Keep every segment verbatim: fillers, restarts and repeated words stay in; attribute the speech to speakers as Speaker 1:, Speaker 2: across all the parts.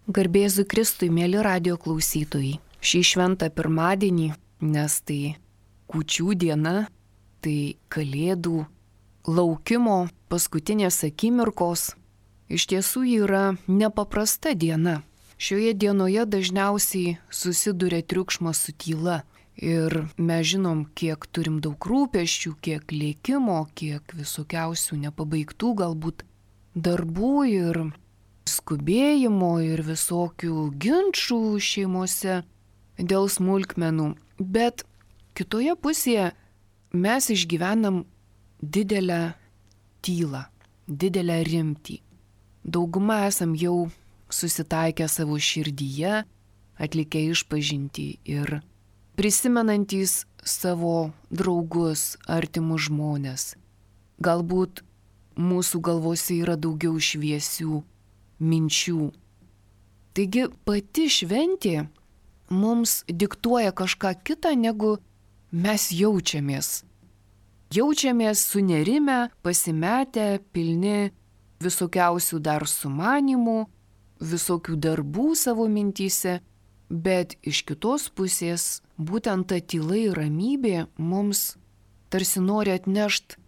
Speaker 1: Garbėzu Kristui, mėly radio klausytojai. Šį šventą pirmadienį, nes tai kūčių diena, tai kalėdų laukimo paskutinės akimirkos, iš tiesų yra nepaprasta diena. Šioje dienoje dažniausiai susiduria triukšmas su tyla. Ir mes žinom, kiek turim daug rūpesčių, kiek lėkimo, kiek visokiausių nepabaigtų galbūt darbų ir skubėjimo ir visokių ginčų šeimose dėl smulkmenų. Bet kitoje pusėje mes išgyvenam didelę tylą, didelę rimtį. Dauguma esam jau susitaikę savo širdyje, atlikę išpažintį ir prisimenantys savo draugus, artimus žmones. Galbūt mūsų galvose yra daugiau šviesių minčių. Taigi pati šventė mums diktuoja kažką kitą, negu mes jaučiamės. Jaučiamės sunerimę, pasimetę, pilni visokiausių dar sumanimų, visokių darbų savo mintyse, bet iš kitos pusės būtent ta tyla ir ramybė mums tarsi nori atnešti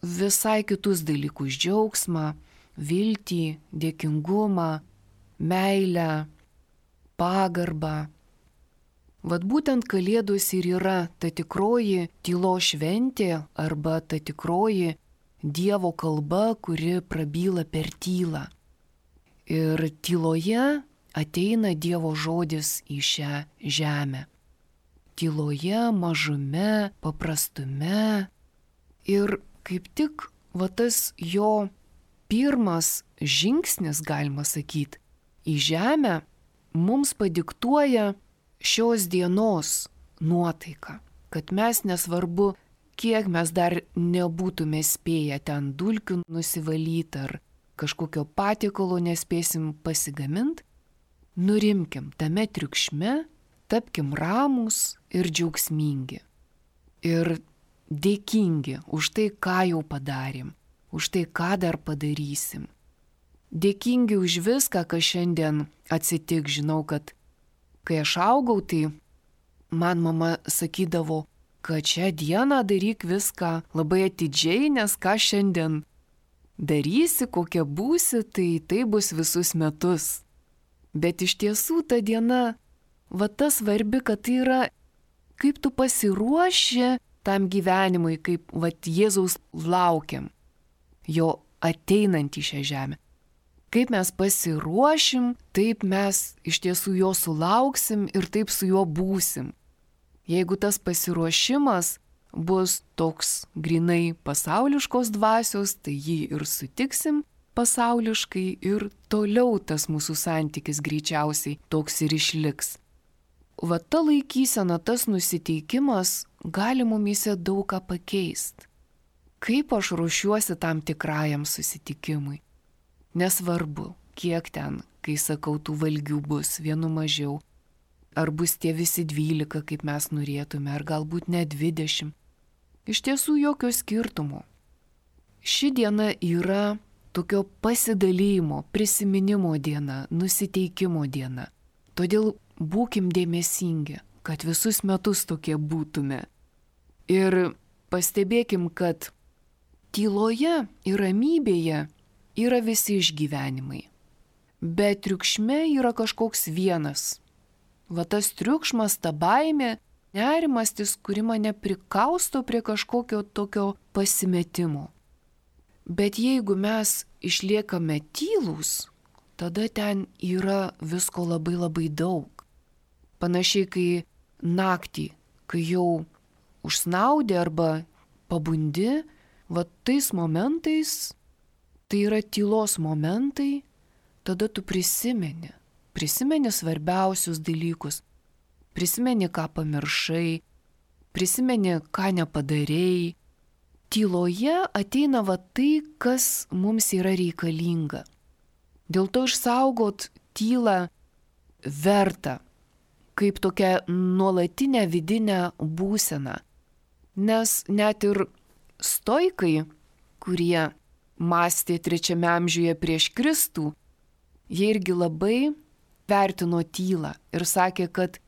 Speaker 1: visai kitus dalykus - džiaugsmą, viltį, dėkingumą, meilę, pagarbą. Vat būtent Kalėdos ir yra ta tikroji tylos šventė arba ta tikroji Dievo kalba, kuri prabyla per tylą. Ir tyloje ateina Dievo žodis į šią žemę. Tyloje, mažume, paprastume. Ir kaip tik va tas jo pirmas žingsnis, galima sakyti, į žemę mums padiktuoja šios dienos nuotaiką, kad mes nesvarbu, kiek mes dar nebūtume spėję ten dulkių nusivalyti ar kažkokio patiekalo nespėsim pasigaminti, nurimkim tame triukšme, tapkim ramūs ir džiaugsmingi. Ir dėkingi už tai, ką jau padarėm, už tai, ką dar padarysim. Dėkingi už viską, kas šiandien atsitiks. Žinau, kad kai aš augau, tai man mama sakydavo, kad šią dieną daryk viską labai atidžiai, nes ką šiandien darysi, kokia būsi, tai tai bus visus metus. Bet iš tiesų ta diena, va ta svarbi, kad tai yra, kaip tu pasiruoši tam gyvenimui, kaip va Jėzaus laukiam, jo ateinant į šią žemę. Kaip mes pasiruošim, taip mes iš tiesų jo sulauksim ir taip su juo būsim. Jeigu tas pasiruošimas bus toks grinai pasauliškos dvasios, tai jį ir sutiksim pasauliškai ir toliau tas mūsų santykis greičiausiai toks ir išliks. Va ta laikysena, tas nusiteikimas gali mumyse daug ką pakeisti. Kaip aš ruošiuosi tam tikrajam susitikimui? Nesvarbu, kiek ten, kai sakau, tų valgių bus, vienu mažiau. Ar bus tie visi dvylika, kaip mes norėtume, ar galbūt net dvidešimt. Iš tiesų jokio skirtumo. Ši diena yra tokio pasidalymo, prisiminimo diena, nusiteikimo diena. Todėl būkim dėmesingi, kad visus metus tokie būtume. Ir pastebėkim, kad tyloje ir ramybėje yra visi išgyvenimai. Bet triukšme yra kažkoks vienas. Va tas triukšmas, ta baimė, nerimastis, kuri mane prikausto prie kažkokio tokio pasimetimo. Bet jeigu mes išliekame tylūs, tada ten yra visko labai labai daug. Panašiai kai naktį, kai jau užsnaudė arba pabundi, va tais momentais, tai yra tylos momentai, tada tu prisimeni. Prisimeni svarbiausius dalykus. Prisimeni, ką pamiršai. Prisimeni, ką nepadarėjai. Tyloje ateina va tai, kas mums yra reikalinga. Dėl to išsaugot tylą verta, kaip tokią nuolatinę vidinę būseną. Nes net ir stoikai, kurie mąstė trečiame amžiuje prieš Kristų, jie irgi labai vertino tylą ir sakė, kad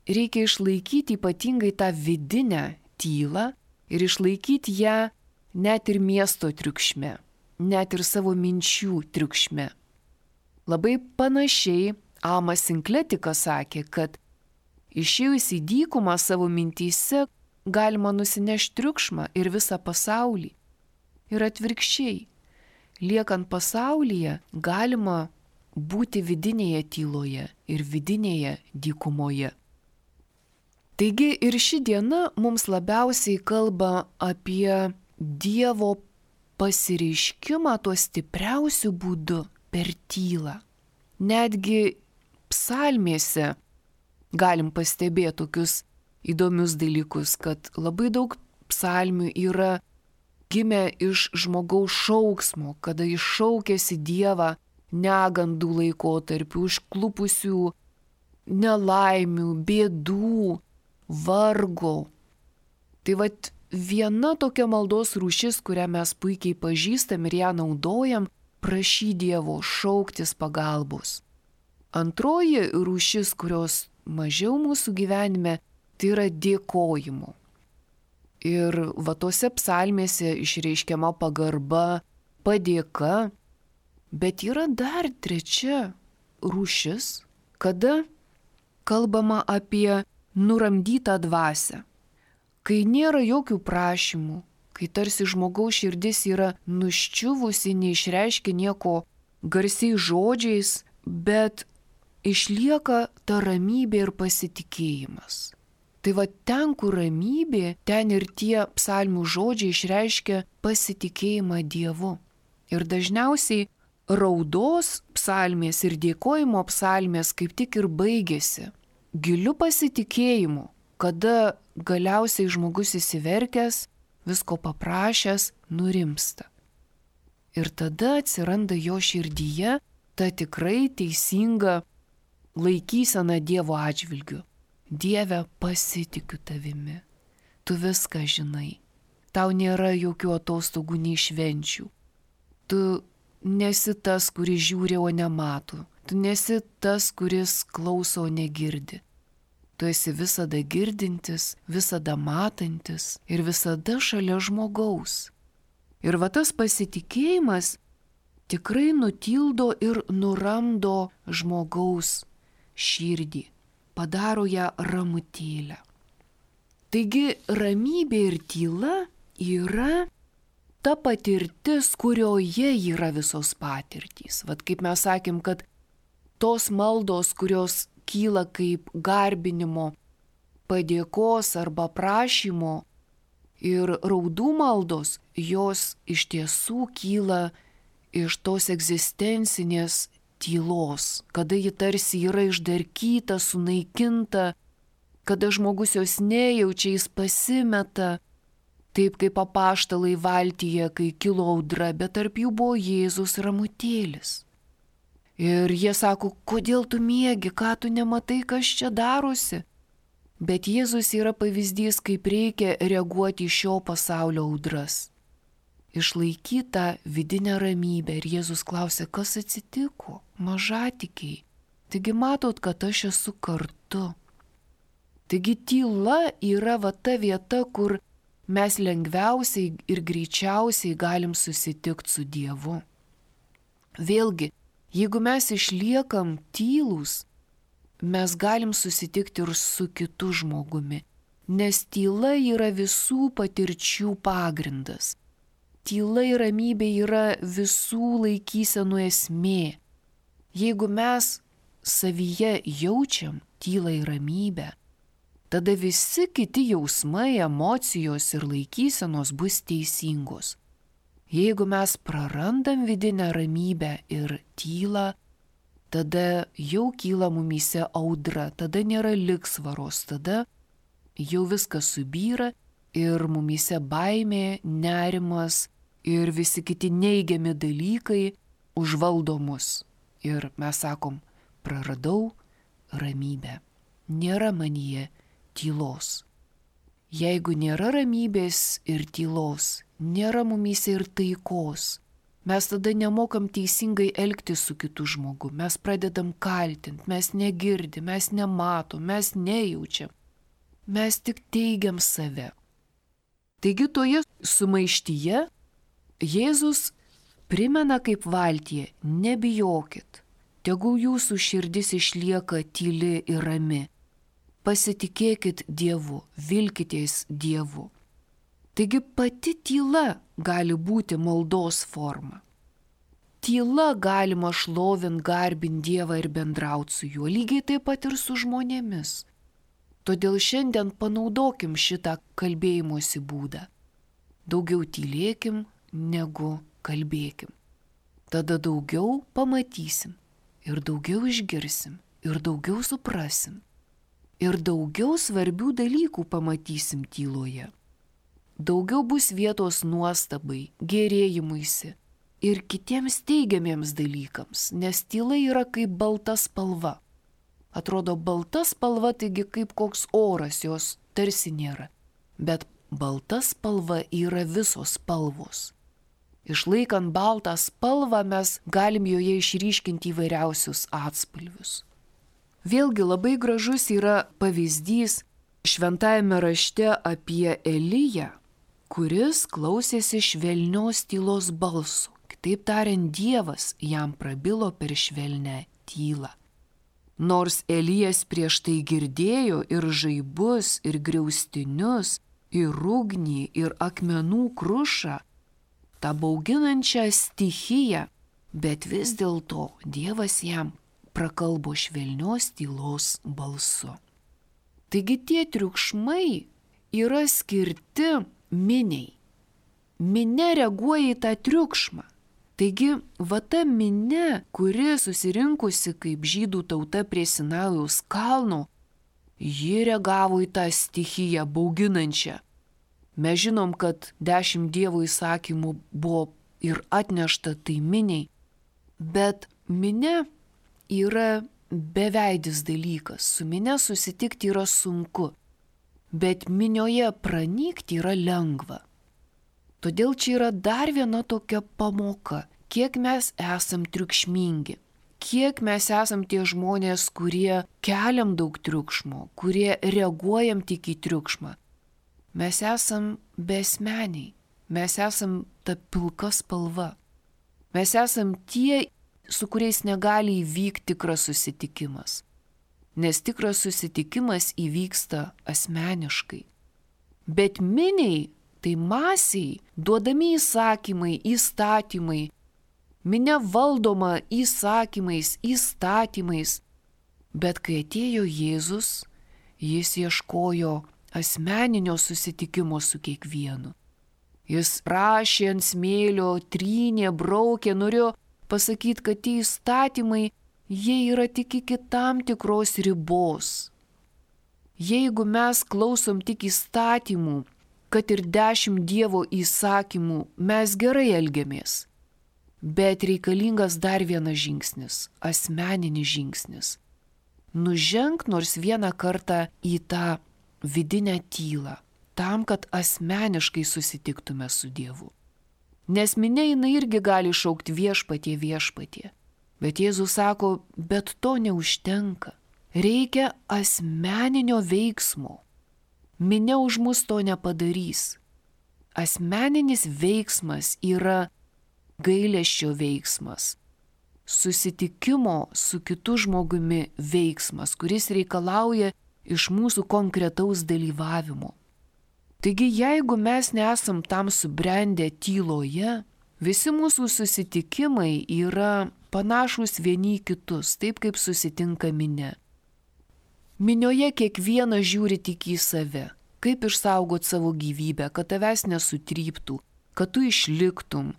Speaker 1: reikia išlaikyti ypatingai tą vidinę tylą ir išlaikyti ją net ir miesto triukšme, net ir savo minčių triukšme. Labai panašiai Amas Sinkletikas sakė, kad išėjus į dykumą savo mintyse galima nusinešti triukšmą ir visą pasaulį. Ir atvirkščiai, liekant pasaulyje, galima būti vidinėje tyloje ir vidinėje dykumoje. Taigi ir ši diena mums labiausiai kalba apie Dievo pasireiškimą tuo stipriausiu būdu per tylą. Netgi psalmėse galim pastebėti tokius įdomius dalykus, kad labai daug psalmių yra gimę iš žmogaus šauksmo, kada jis šaukėsi Dievą negandų laikotarpių, užklupusių nelaimių, bėdų, vargo. Tai vat viena tokia maldos rūšis, kurią mes puikiai pažįstam ir ją naudojam, prašy Dievo, šauktis pagalbos. Antroji rūšis, kurios mažiau mūsų gyvenime, tai yra dėkojimo. Ir va tose psalmėse išreiškiama pagarba, padėka, bet yra dar trečia rūšis, kada kalbama apie nuramdytą dvasią. Kai nėra jokių prašymų, kai tarsi žmogaus širdis yra nuščiuvusi, neišreiškia nieko garsiais žodžiais, bet išlieka ta ramybė ir pasitikėjimas. Tai va ten, kur ramybė, ten ir tie psalmių žodžiai išreiškia pasitikėjimą Dievu. Ir dažniausiai raudos psalmės ir dėkojimo psalmės kaip tik ir baigėsi giliu pasitikėjimu, kada galiausiai žmogus įsiverkęs, visko paprašęs, nurimsta. Ir tada atsiranda jo širdyje ta tikrai teisinga laikysena Dievo atžvilgiu. Dieve, pasitikiu tavimi. Tu viską žinai. Tau nėra jokių atostogų nei švenčių. Tu nesi tas, kuris žiūri, o nemato. Tu nesi tas, kuris klauso, o negirdi. Tu esi visada girdintis, visada matantis ir visada šalia žmogaus. Ir va tas pasitikėjimas tikrai nutildo ir nuramdo žmogaus širdį, padaro ją ramutėlę. Taigi ramybė ir tyla yra ta patirtis, kurioje yra visos patirtys. Vat kaip mes sakėm, kad tos maldos, kurios kyla kaip garbinimo, padėkos arba prašymo ir raudų maldos, jos iš tiesų kyla iš tos egzistencinės tylos, kada ji tarsi yra išdarkyta, sunaikinta, kada žmogus jos nejaučia, jis pasimeta, taip kaip apaštalai valtyje, kai kilo audra, bet tarp jų buvo Jėzus ramutėlis. Ir jie sako, kodėl tu miegi, ką tu nematai, kas čia darosi? Bet Jėzus yra pavyzdys, kaip reikia reaguoti į šio pasaulio audras. Išlaikyti tą vidinę ramybę. Ir Jėzus klausė, kas atsitiko? Mažatikiai. Taigi matot, kad aš esu kartu. Taigi tyla yra va ta vieta, kur mes lengviausiai ir greičiausiai galim susitikti su Dievu. Vėlgi, jeigu mes išliekam tylūs, mes galim susitikti ir su kitu žmogumi, nes tyla yra visų patirčių pagrindas. Tyla ir ramybė yra visų laikysenų esmė. Jeigu mes savyje jaučiam tylą ir ramybę, tada visi kiti jausmai, emocijos ir laikysenos bus teisingos. Jeigu mes prarandam vidinę ramybę ir tylą, tada jau kyla mumyse audra, tada nėra ligsvaros, tada jau viskas subyra ir mumyse baimė, nerimas ir visi kiti neigiami dalykai užvaldo mus. Ir mes sakom, praradau ramybę, nėra manyje tylos. Jeigu nėra ramybės ir tylos, nėra mumyse ir taikos. Mes tada nemokam teisingai elgtis su kitu žmogu. Mes pradedam kaltinti, mes negirdim, mes nematom, mes nejaučiam. Mes tik teigiam save. Taigi toje sumaištyje Jėzus primena kaip valtyje, nebijokit, tegul jūsų širdis išlieka tyli ir rami. Pasitikėkit Dievu, vilkitės Dievu. Taigi pati tyla gali būti maldos forma. Tyla galima šlovint, garbint Dievą ir bendrauti su juo, lygiai taip pat ir su žmonėmis. Todėl šiandien panaudokim šitą kalbėjimosi būdą. Daugiau tylėkim, negu kalbėkim. Tada daugiau pamatysim ir daugiau išgirsim ir daugiau suprasim. Ir daugiau svarbių dalykų pamatysim tyloje. Daugiau bus vietos nuostabai, gerėjimuisi ir kitiems teigiamiems dalykams, nes tyla yra kaip balta spalva. Atrodo balta spalva, taigi kaip koks oras, jos tarsi nėra. Bet balta spalva yra visos spalvos. Išlaikant baltą spalvą mes galim joje išryškinti įvairiausius atspalvius. Vėlgi labai gražus yra pavyzdys šventajame rašte apie Eliją, kuris klausėsi švelnios tylos balso. Kitaip tariant, Dievas jam prabilo per švelnę tylą. Nors Elijas prieš tai girdėjo ir žaibus, ir griaustinius, ir ugnį, ir akmenų krušą, tą bauginančią stichiją, bet vis dėlto Dievas jam prakalbo švelnios tylos balsu. Taigi tie triukšmai yra skirti miniai. Minia reaguoja į tą triukšmą. Taigi, va ta minia, kuri susirinkusi kaip žydų tauta prie Sinajaus kalno, ji reagavo į tą stichiją bauginančią. Mes žinom, kad dešimt Dievo įsakymų buvo ir atnešta tai miniai, bet minia yra beveidis dalykas. Su minia susitikti yra sunku, bet minioje pranykti yra lengva. Todėl čia yra dar viena tokia pamoka, kiek mes esam triukšmingi, kiek mes esam tie žmonės, kurie keliam daug triukšmo, kurie reaguojam tik į triukšmą. Mes esam besmeniai, mes esam ta pilka spalva. Mes esam tie, su kuriais negali įvykti tikras susitikimas, nes tikras susitikimas įvyksta asmeniškai. Bet miniai, tai masiai, duodami įsakymai, įstatymai, minia valdoma įsakymais, įstatymais. Bet kai atėjo Jėzus, jis ieškojo asmeninio susitikimo su kiekvienu. Jis rašė ant smėlio, trynė, braukė, norėjo pasakyti, kad tie įstatymai, jie yra tik iki tam tikros ribos. Jeigu mes klausom tik įstatymų, kad ir dešimt Dievo įsakymų, mes gerai elgiamės. Bet reikalingas dar vienas žingsnis, asmeninis žingsnis. Nuženk nors vieną kartą į tą vidinę tylą, tam, kad asmeniškai susitiktume su Dievu. Nes minia jinai irgi gali šaukti viešpatie, viešpatie. Bet Jėzus sako, bet to neužtenka. Reikia asmeninio veiksmo. Minia už mus to nepadarys. Asmeninis veiksmas yra gailesčio veiksmas. Susitikimo su kitu žmogumi veiksmas, kuris reikalauja iš mūsų konkretaus dalyvavimo. Taigi, jeigu mes nesam tam subrendę tyloje, visi mūsų susitikimai yra panašus vieni į kitus, taip kaip susitinka minia. Minioje kiekvienas žiūri tik į save, kaip išsaugot savo gyvybę, kad tavęs nesutryptų, kad tu išliktum.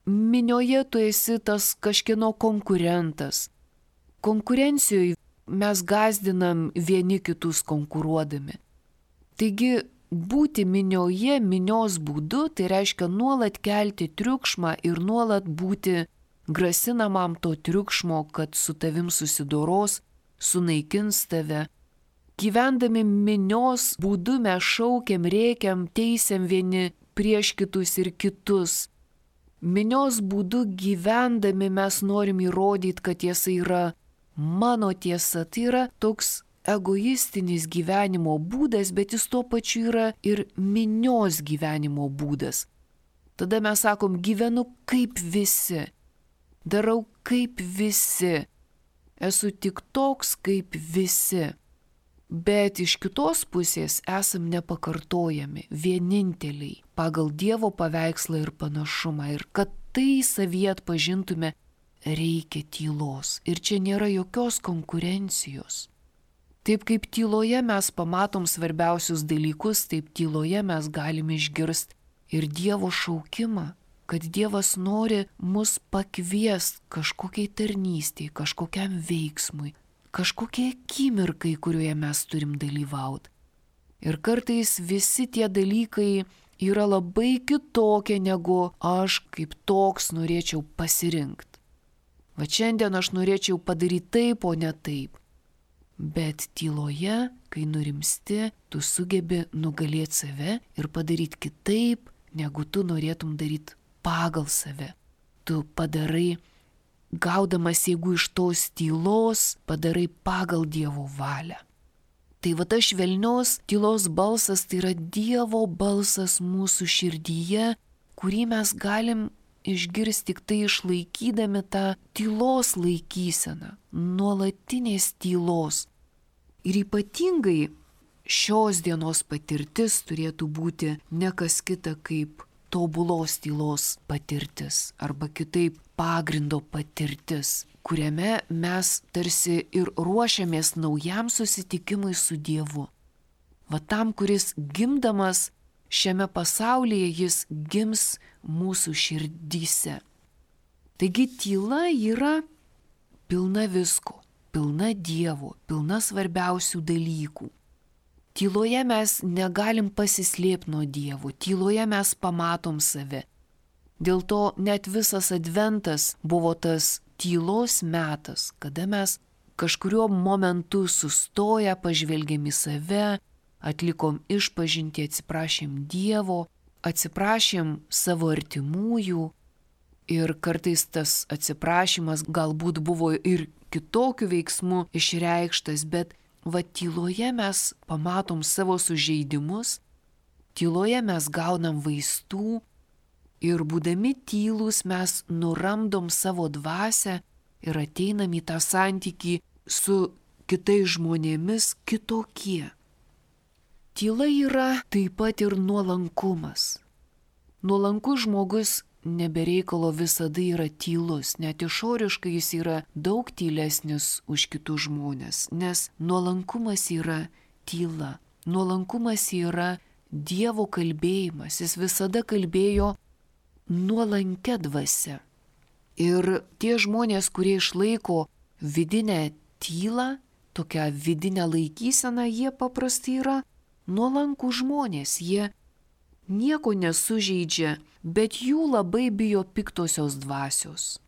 Speaker 1: Minioje tu esi tas kažkieno konkurentas. Konkurencijoje mes gąsdinam vieni kitus konkuruodami. Taigi, būti minioje, minios būdu, tai reiškia nuolat kelti triukšmą ir nuolat būti grasinamam to triukšmo, kad su tavim susidoros, sunaikins tave. Gyvendami minios būdu mes šaukiam, rėkiam, teisiam vieni prieš kitus ir kitus. Minios būdu gyvendami mes norim įrodyti, kad tiesa yra mano tiesa. Tai yra toks egoistinis gyvenimo būdas, bet jis tuo pačiu yra ir minios gyvenimo būdas. Tada mes sakom, gyvenu kaip visi, darau kaip visi, esu tik toks kaip visi. Bet iš kitos pusės esam nepakartojami, vieninteliai, pagal Dievo paveikslą ir panašumą. Ir kad tai savyje atpažintume, reikia tylos. Ir čia nėra jokios konkurencijos. Taip kaip tyloje mes pamatom svarbiausius dalykus, taip tyloje mes galime išgirsti ir Dievo šaukimą, kad Dievas nori mus pakviesti kažkokiai tarnystei, kažkokiam veiksmui, kažkokie akimirkai, kurioje mes turim dalyvauti. Ir kartais visi tie dalykai yra labai kitokie, negu aš kaip toks norėčiau pasirinkti. Va šiandien aš norėčiau padaryti taip, o ne taip. Bet tyloje, kai nurimsti, tu sugebi nugalėti save ir padaryti kitaip, negu tu norėtum daryti pagal save. Tu padarai, gaudamas jėgų iš tos tylos, padarai pagal Dievo valią. Tai va ta švelnios tylos balsas, tai yra Dievo balsas mūsų širdyje, kurį mes galim išgirsti tik tai išlaikydami tą tylos laikyseną, nuolatinės tylos. Ir ypatingai šios dienos patirtis turėtų būti ne kas kita kaip tobulos tylos patirtis arba kitaip pagrindo patirtis, kuriame mes tarsi ir ruošiamės naujam susitikimui su Dievu. Va tam, kuris gimdamas šiame pasaulyje, jis gims mūsų širdyse. Taigi tyla yra pilna visko, pilna Dievo, pilna svarbiausių dalykų. Tyloje mes negalim pasislėpti nuo Dievo, tyloje mes pamatom save. Dėl to net visas adventas buvo tas tylos metas, kada mes kažkuriuo momentu sustoję pažvelgėm į save, atlikom išpažintį, atsiprašėm Dievo, atsiprašėm savo artimųjų ir kartais tas atsiprašymas galbūt buvo ir kitokiu veiksmu išreikštas, bet va tyloje mes pamatom savo sužeidimus, tyloje mes gaunam vaistų ir būdami tylūs mes nuramdom savo dvasią ir ateinam į tą santykį su kitais žmonėmis kitokie. Tyla yra taip pat ir nuolankumas. Nuolankus žmogus nebereikalo visada yra tylus, net išoriškai jis yra daug tylesnis už kitus žmonės, nes nuolankumas yra tyla. Nuolankumas yra Dievo kalbėjimas, jis visada kalbėjo nuolankia dvasia. Ir tie žmonės, kurie išlaiko vidinę tylą, tokią vidinę laikyseną, jie paprastai yra nuolankų žmonės, jie nieko nesužeidžia, bet jų labai bijo piktosios dvasios.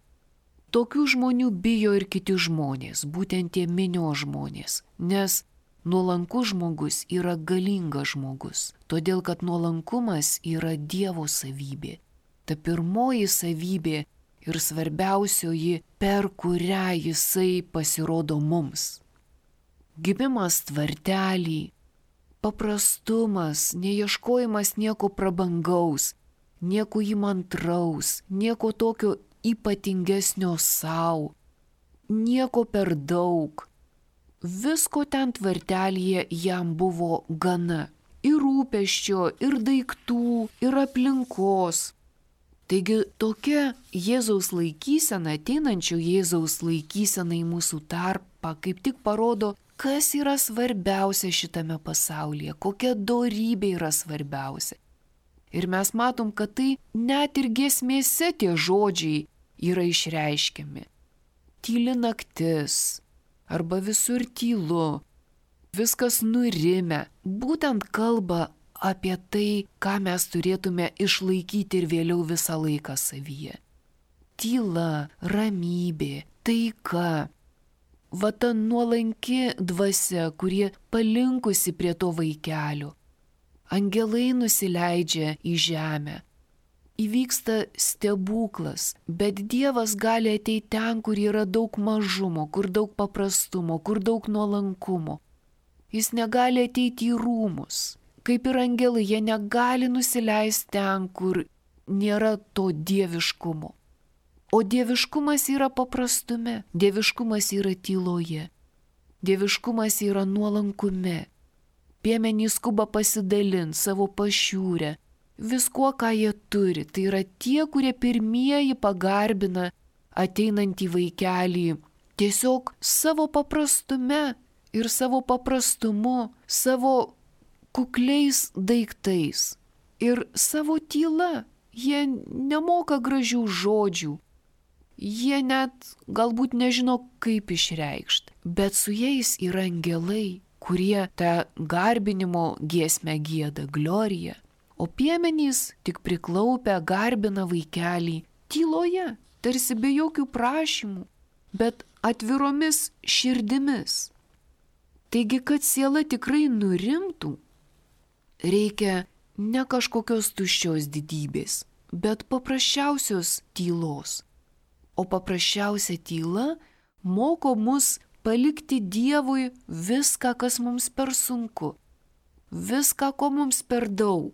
Speaker 1: Tokių žmonių bijo ir kiti žmonės, būtent tie minios žmonės, nes nuolankus žmogus yra galingas žmogus, todėl kad nuolankumas yra Dievo savybė. Ta pirmoji savybė ir svarbiausioji, per kurią jisai pasirodo mums. Gimimas tvartelį, paprastumas, neieškojimas nieko prabangaus, nieko įmantraus, nieko tokio ypatingesnio savo, nieko per daug. Visko ten tvartelėje jam buvo gana. Ir rūpesčio, ir daiktų, ir aplinkos. Taigi tokia Jėzaus laikysena, ateinančio Jėzaus laikysena į mūsų tarpą, kaip tik parodo, kas yra svarbiausia šitame pasaulyje, kokia dorybė yra svarbiausia. Ir mes matom, kad tai net ir giesmėse tie žodžiai yra išreiškiami. Tyli naktis, arba visur tylu, viskas nurimę, būtent kalba apie tai, ką mes turėtume išlaikyti ir vėliau visą laiką savyje. Tyla, ramybė, taika. Va ta nuolanki dvasia, kurie palinkusi prie to vaikelio. Angelai nusileidžia į žemę. įvyksta stebuklas, bet Dievas gali ateiti ten, kur yra daug mažumo, kur daug paprastumo, kur daug nuolankumo. Jis negali ateiti į rūmus. Kaip ir angelai, jie negali nusileisti ten, kur nėra to dieviškumo. O dieviškumas yra paprastume, dieviškumas yra tyloje, dieviškumas yra nuolankume. Piemenys skuba pasidalinti savo pašiūrę, viskuo, ką jie turi. Tai yra tie, kurie pirmieji pagarbina ateinantį vaikelį tiesiog savo paprastume ir savo paprastumu, savo kukliais daiktais ir savo tyla. Jie nemoka gražių žodžių, jie net galbūt nežino, kaip išreikšti, bet su jais yra angelai, kurie tą garbinimo giesmę gieda, gloriją. O piemenys tik priklaupę garbina vaikelį tyloje, tarsi be jokių prašymų, bet atviromis širdimis. Taigi, kad siela tikrai nurimtų, reikia ne kažkokios tuščios didybės, bet paprasčiausios tylos. O paprasčiausia tyla moko mus palikti Dievui viską, kas mums per sunku, viską, ko mums per daug,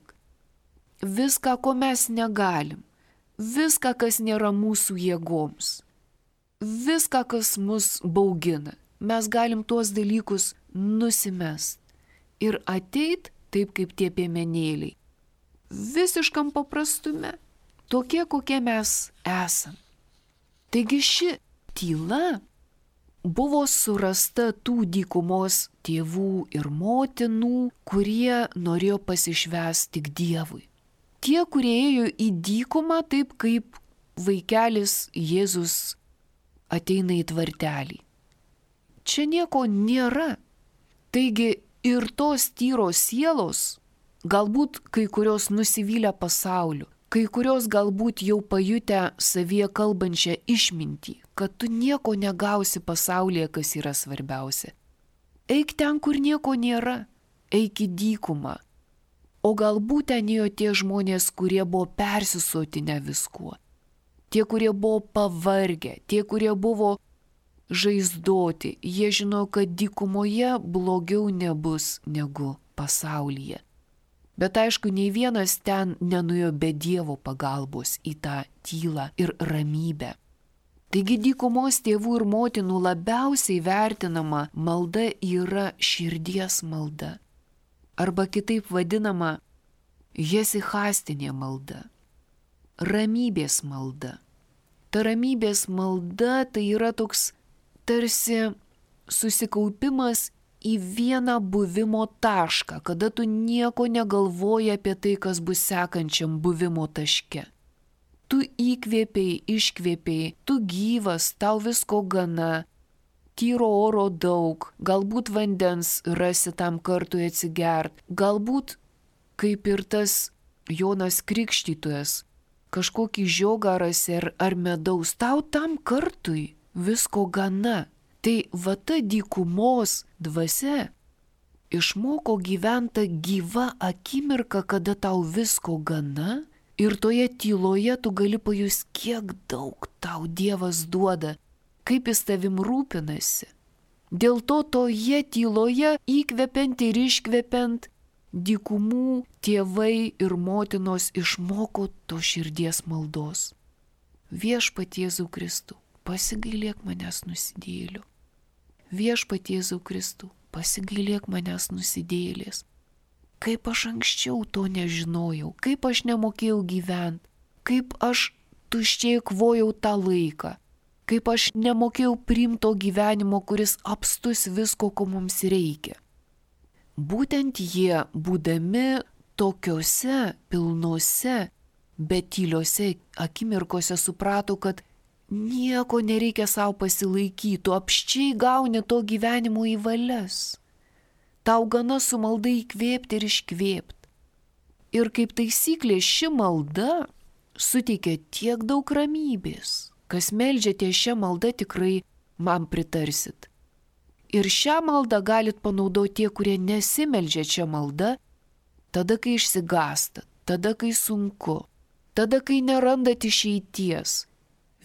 Speaker 1: viską, ko mes negalim, viską, kas nėra mūsų jėgoms, viską, kas mus baugina. Mes galim tuos dalykus nusimest ir ateit taip kaip tie piemenėliai, visiškam paprastume, tokie, kokie mes esam. Taigi ši tyla buvo surasta tų dykumos tėvų ir motinų, kurie norėjo pasišvęsti tik Dievui. Tie, kurie ėjo į dykumą taip, kaip vaikelis Jėzus ateina į tvartelį. Čia nieko nėra. Taigi ir tos tyros sielos, galbūt kai kurios nusivylę pasauliu, kai kurios galbūt jau pajutę savyje kalbančią išmintį, kad tu nieko negausi pasaulyje, kas yra svarbiausia. Eik ten, kur nieko nėra, eik į dykumą. O galbūt ten ėjo tie žmonės, kurie buvo persisotinę viskuo, tie, kurie buvo pavargę, tie, kurie buvo žaizdoti, jie žino, kad dykumoje blogiau nebus negu pasaulyje. Bet aišku, nei vienas ten nenuėjo be Dievo pagalbos į tą tylą ir ramybę. Taigi dykumos tėvų ir motinų labiausiai vertinama malda yra širdies malda. Arba kitaip vadinama hesichastinė malda. Ramybės malda. Ta ramybės malda tai yra toks tarsi susikaupimas į vieną buvimo tašką, kada tu nieko negalvoji apie tai, kas bus sekančiam buvimo taške. Tu įkvėpiai, iškvėpiai, tu gyvas, tau visko gana, tyro oro daug, galbūt vandens rasi tam kartui atsigert, galbūt, kaip ir tas Jonas Krikštytojas, kažkokį žiogą rasi ar, ar medaus, tau tam kartui visko gana. Tai va ta dykumos dvasia išmoko gyventi gyva akimirka, kada tau visko gana ir toje tyloje tu gali pajust, kiek daug tau Dievas duoda, kaip jis tavim rūpinasi. Dėl to toje tyloje įkvepiant ir iškvepiant dykumų tėvai ir motinos išmoko to širdies maldos. Viešpatie Jėzau Kristų, pasigailėk manęs nusidėjėlių. Viešpatie Jėzau Kristų, pasigailėk manęs nusidėjėlės. Kaip aš anksčiau to nežinojau, kaip aš nemokėjau gyventi, kaip aš tuščiai kvojau tą laiką, kaip aš nemokėjau priimti to gyvenimo, kuris apstus visko, ko mums reikia. Būtent jie, būdami tokiuose pilnuose, bet tyliuose akimirkose suprato, kad nieko nereikia savo pasilaikyti, tu apščiai gauni to gyvenimo į valias. Tau gana su malda įkvėpti ir iškvėpti. Ir kaip taisyklė ši malda suteikia tiek daug ramybės. Kas meldžiate šią maldą, tikrai man pritarsit. Ir šią maldą galit panaudoti tie, kurie nesimeldžia šią maldą, tada, kai išsigąstat, tada, kai sunku, tada, kai nerandat išeities.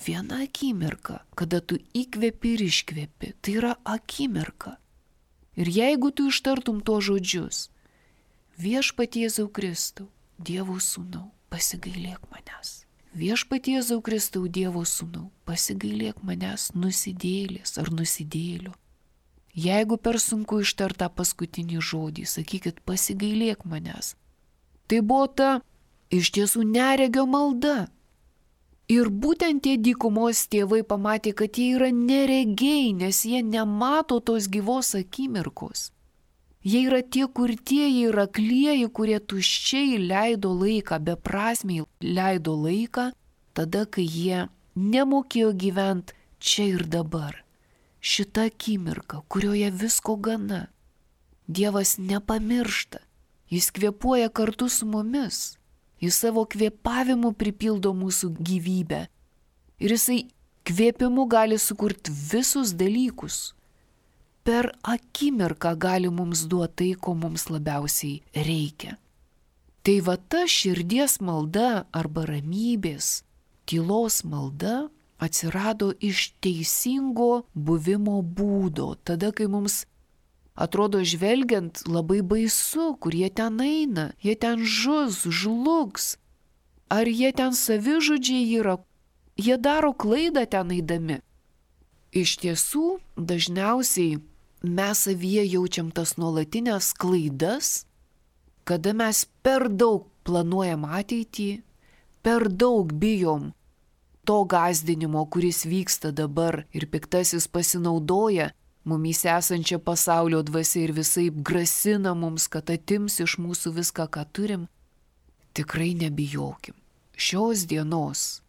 Speaker 1: Viena akimirka, kada tu įkvepi ir iškvepi, tai yra akimirka. Ir jeigu tu ištartum tuos žodžius, Viešpatie Jėzau Kristau, Dievo sūnau, pasigailėk manęs. Viešpatie Jėzau Kristau, Dievo sūnau, pasigailėk manęs nusidėlės ar nusidėlio. Jeigu per sunku ištart tą paskutinį žodį, sakykit, pasigailėk manęs. Tai buvo ta iš tiesų neregio malda. Ir būtent tie dykumos tėvai pamatė, kad jie yra neregiai, nes jie nemato tos gyvos akimirkos. Jie yra tie kurtieji ir aklieji, kurie tuščiai leido laiką, beprasmiai leido laiką, tada, kai jie nemokėjo gyventi čia ir dabar. Šita akimirka, kurioje visko gana. Dievas nepamiršta, jis kvėpuoja kartu su mumis. Jis savo kvėpavimu pripildo mūsų gyvybę. Ir jisai kvėpimu gali sukurti visus dalykus. Per akimirką gali mums duoti tai, ko mums labiausiai reikia. Tai va ta širdies malda arba ramybės, tylos malda atsirado iš teisingo buvimo būdo. Tada, kai mums atrodo žvelgiant labai baisu, kur jie ten eina, jie ten žus, žlugs. Ar jie ten savižudžiai yra, jie daro klaidą ten eidami. Iš tiesų, dažniausiai mes savyje jaučiam tas nuolatinės klaidas, kada mes per daug planuojam ateitį, per daug bijom to gąsdinimo, kuris vyksta dabar ir piktasis pasinaudoja mumyse esančia pasaulio dvasia ir visaip grasina mums, kad atims iš mūsų viską, ką turim. Tikrai nebijokim. Šios dienos,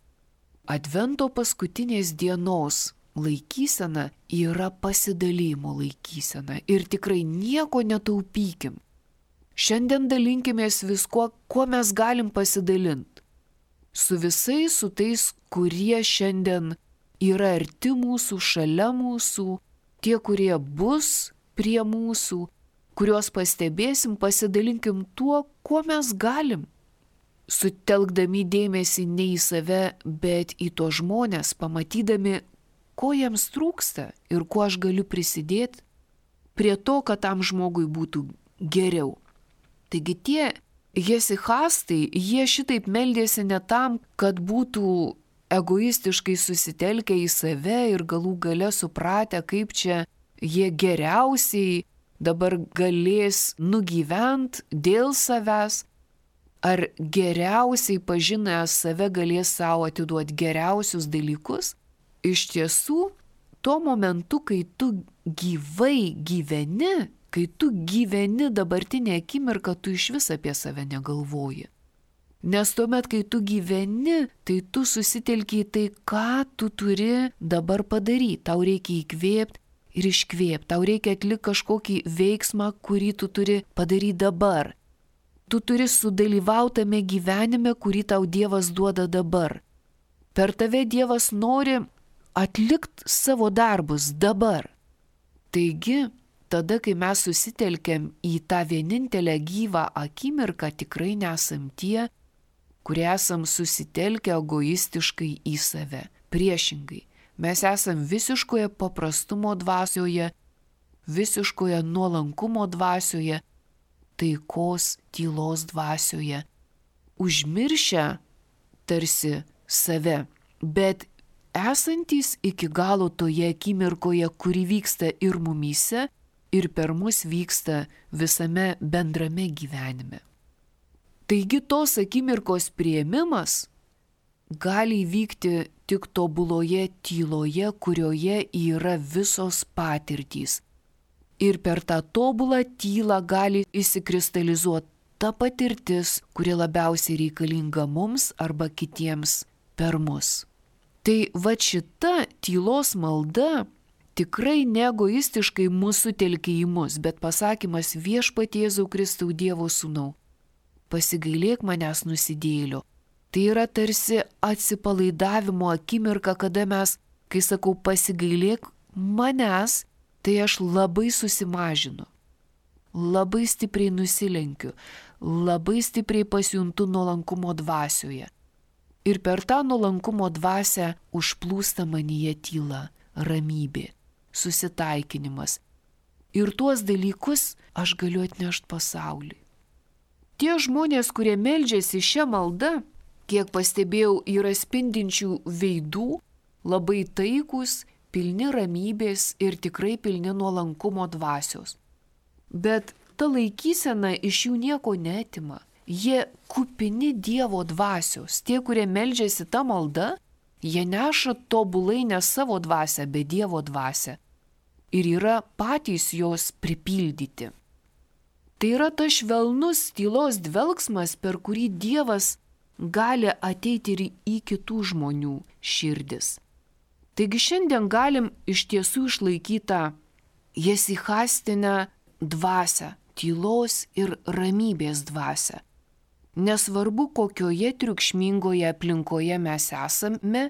Speaker 1: Advento paskutinės dienos laikysena yra pasidalymo laikysena ir tikrai nieko netaupykim. Šiandien dalinkimės viskuo, kuo mes galim pasidalinti. Su visais, su tais, kurie šiandien yra arti mūsų, šalia mūsų, tie, kurie bus prie mūsų, kuriuos pastebėsim, pasidalinkim tuo, kuo mes galim. Sutelkdami dėmesį ne į save, bet į to žmonės, pamatydami, ko jiems trūksta ir kuo aš galiu prisidėti prie to, kad tam žmogui būtų geriau. Taigi tie hesichastai, jie šitaip meldėsi ne tam, kad būtų egoistiškai susitelkę į save ir galų gale supratę, kaip čia jie geriausiai dabar galės nugyvent dėl savęs, ar geriausiai pažinę save galės savo atiduoti geriausius dalykus. Iš tiesų, tuo momentu, kai tu gyvai gyveni, kai tu gyveni dabartinę akimirką, tu iš vis apie save negalvoji. Nes tuomet, kai tu gyveni, tai tu susitelki į tai, ką tu turi dabar padaryti. Tau reikia įkvėpti ir iškvėpti. Tau reikia atlikti kažkokį veiksmą, kurį tu turi padaryti dabar. Tu turi sudalyvautame gyvenime, kurį tau Dievas duoda dabar. Per tave Dievas nori atlikti savo darbus dabar. Taigi, tada, kai mes susitelkiam į tą vienintelę gyvą akimirką, tikrai nesam tie, kurie esam susitelkę egoistiškai į save. Priešingai, mes esam visiškoje paprastumo dvasioje, visiškoje nuolankumo dvasioje, taikos, tylos dvasioje, užmiršę tarsi save, bet esantys iki galo toje akimirkoje, kuri vyksta ir mumyse, ir per mus vyksta visame bendrame gyvenime. Taigi tos akimirkos priėmimas gali įvykti tik tobuloje tyloje, kurioje yra visos patirtys. Ir per tą tobulą tylą gali įsikristalizuoti ta patirtis, kuri labiausiai reikalinga mums arba kitiems per mus. Tai va šita tylos malda tikrai neegoistiškai mūsų telkia į mus, bet pasakymas Viešpatie Jėzau Kristau Dievo sūnau, pasigailėk manęs nusidėlio. Tai yra tarsi atsipalaidavimo akimirka, kada mes, kai sakau pasigailėk manęs, tai aš labai susimažinu, labai stipriai nusilenkiu, labai stipriai pasijuntu nuolankumo dvasioje. Ir per tą nuolankumo dvasią užplūsta manyje tyla, ramybė, susitaikinimas. Ir tuos dalykus aš galiu atnešti pasauliui. Tie žmonės, kurie meldžiasi šią maldą, kiek pastebėjau, yra spindinčių veidų, labai taikus, pilni ramybės ir tikrai pilni nuolankumo dvasios. Bet ta laikysena iš jų nieko neatima. Jie kupini Dievo dvasios. Tie, kurie meldžiasi tą maldą, jie neša tobulai ne savo dvasią, bet Dievo dvasią. Ir yra patys jos pripildyti. Tai yra tas švelnus tylos dvelgsmas, per kurį Dievas gali ateiti ir į kitų žmonių širdis. Taigi šiandien galim iš tiesų išlaikyti jesichastinę dvasią, tylos ir ramybės dvasią. Nesvarbu, kokioje triukšmingoje aplinkoje mes esame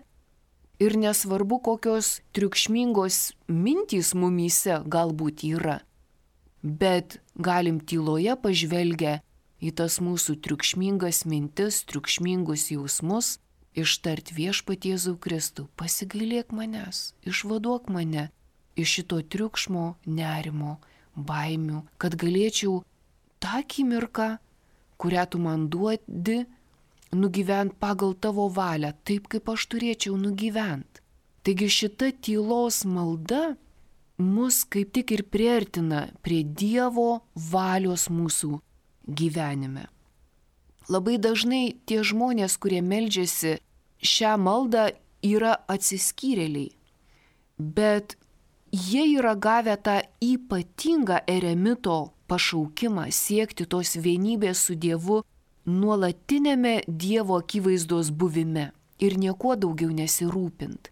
Speaker 1: ir nesvarbu, kokios triukšmingos mintys mumyse galbūt yra, bet galim tyloje pažvelgę į tas mūsų triukšmingas mintis, triukšmingus jausmus, ištart Viešpatie Jėzau Kristau, pasigailėk manęs, išvaduok mane iš šito triukšmo, nerimo, baimių, kad galėčiau tą akimirką, kurią tu man duodi, nugyvent pagal tavo valią, taip kaip aš turėčiau nugyvent. Taigi šita tylos malda mus kaip tik ir priartina prie Dievo valios mūsų gyvenime. Labai dažnai tie žmonės, kurie meldžiasi šią maldą, yra atsiskyrėliai, bet jie yra gavę tą ypatingą eremito pašaukimą siekti tos vienybės su Dievu nuolatinėme Dievo akivaizdos buvime ir niekuo daugiau nesirūpint.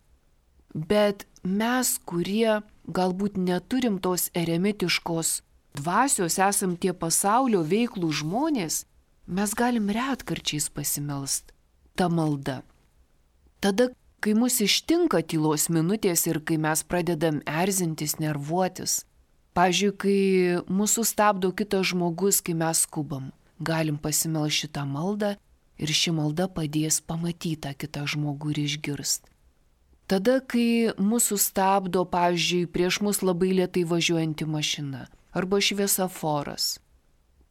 Speaker 1: Bet mes, kurie galbūt neturim tos eremitiškos dvasios, esam tie pasaulio veiklų žmonės, mes galim retkarčiais pasimelst tą maldą. Tada, kai mus ištinka tylos minutės ir kai mes pradedam erzintis, nervuotis, pavyzdžiui, kai mūsų stabdo kitas žmogus, kai mes skubam, galim pasimelst šitą maldą ir ši malda padės pamatyti tą kitą žmogų ir išgirst. Tada, kai mūsų stabdo, pavyzdžiui, prieš mus labai lėtai važiuojanti mašina arba šviesoforas,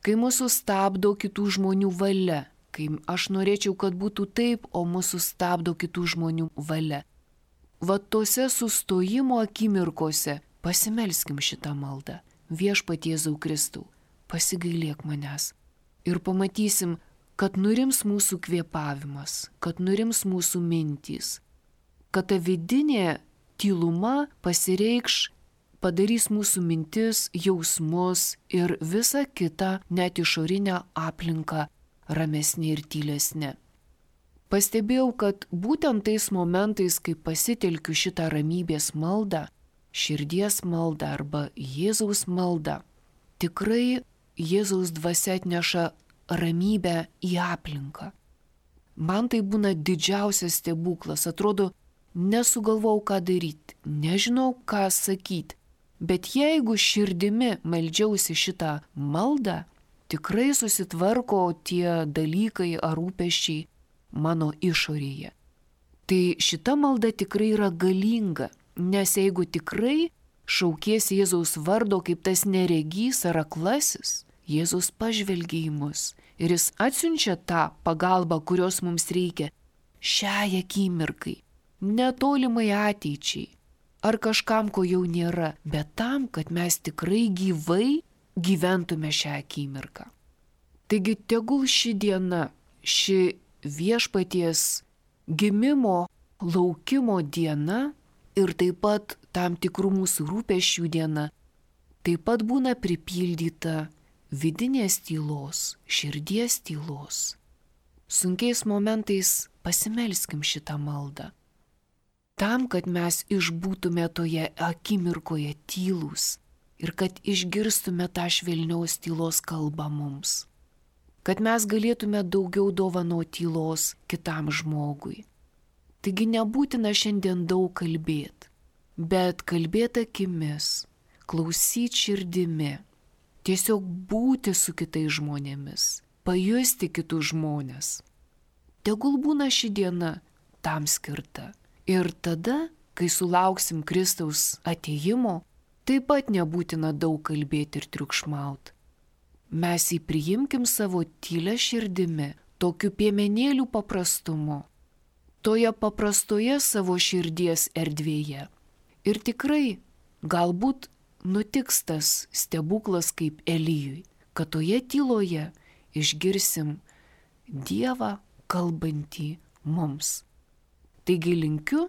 Speaker 1: kai mūsų stabdo kitų žmonių valia, kai aš norėčiau, kad būtų taip, o mūsų stabdo kitų žmonių valia. Va tose sustojimo akimirkose pasimelskim šitą maldą. Viešpatie Jėzau Kristau, pasigailėk manęs. Ir pamatysim, kad nurims mūsų kvėpavimas, kad nurims mūsų mintys, kad ta vidinė tyluma pasireikš, padarys mūsų mintis, jausmus ir visą kitą net išorinę aplinką ramesnė ir tylesnė. Pastebėjau, kad būtent tais momentais, kai pasitelkiu šitą ramybės maldą, širdies maldą arba Jėzaus maldą, tikrai Jėzaus dvasia atneša ramybę į aplinką. Man tai būna didžiausias stebuklas, atrodo, nesugalvau, ką daryti, nežinau, ką sakyti, bet jeigu širdimi meldžiausi šitą maldą, tikrai susitvarko tie dalykai ar rūpesčiai mano išorėje. Tai šita malda tikrai yra galinga, nes jeigu tikrai šaukiesi Jėzaus vardo kaip tas neregys ar aklasis, Jėzus pažvelgia į mus ir jis atsiunčia tą pagalbą, kurios mums reikia šiai akimirkai, netolimai ateičiai ar kažkam, ko jau nėra, bet tam, kad mes tikrai gyvai gyventume šią akimirką. Taigi tegul ši diena, ši Viešpaties gimimo, laukimo diena ir taip pat tam tikrų mūsų rūpesčių diena, taip pat būna pripildyta vidinės tylos, širdies tylos. Sunkiais momentais pasimelskim šitą maldą. Tam, kad mes išbūtume toje akimirkoje tylūs ir kad išgirstume tą švelniaus tylos kalbą mums. Kad mes galėtume daugiau dovanoti tylos kitam žmogui. Taigi nebūtina šiandien daug kalbėti, bet kalbėti akimis, klausyti širdimi, tiesiog būti su kitais žmonėmis, pajusti kitus žmonės. tegul būna ši diena tam skirta. Ir tada, kai sulauksim Kristaus atėjimo, taip pat nebūtina daug kalbėti ir triukšmaut. Mes jį priimkim savo tylę širdimi, tokiu piemenėlių paprastumu, toje paprastoje savo širdies erdvėje. Ir tikrai, galbūt nutiks tas stebuklas kaip Elijui, kad toje tyloje išgirsim Dievą kalbantį mums. Taigi linkiu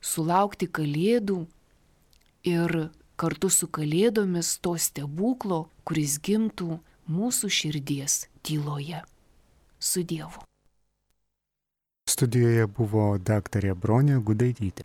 Speaker 1: sulaukti Kalėdų ir kartu su Kalėdomis to stebuklo, kuris gimtų mūsų širdies tyloje. Su Dievu.
Speaker 2: Studijoje buvo daktarė Bronė Gudaitytė.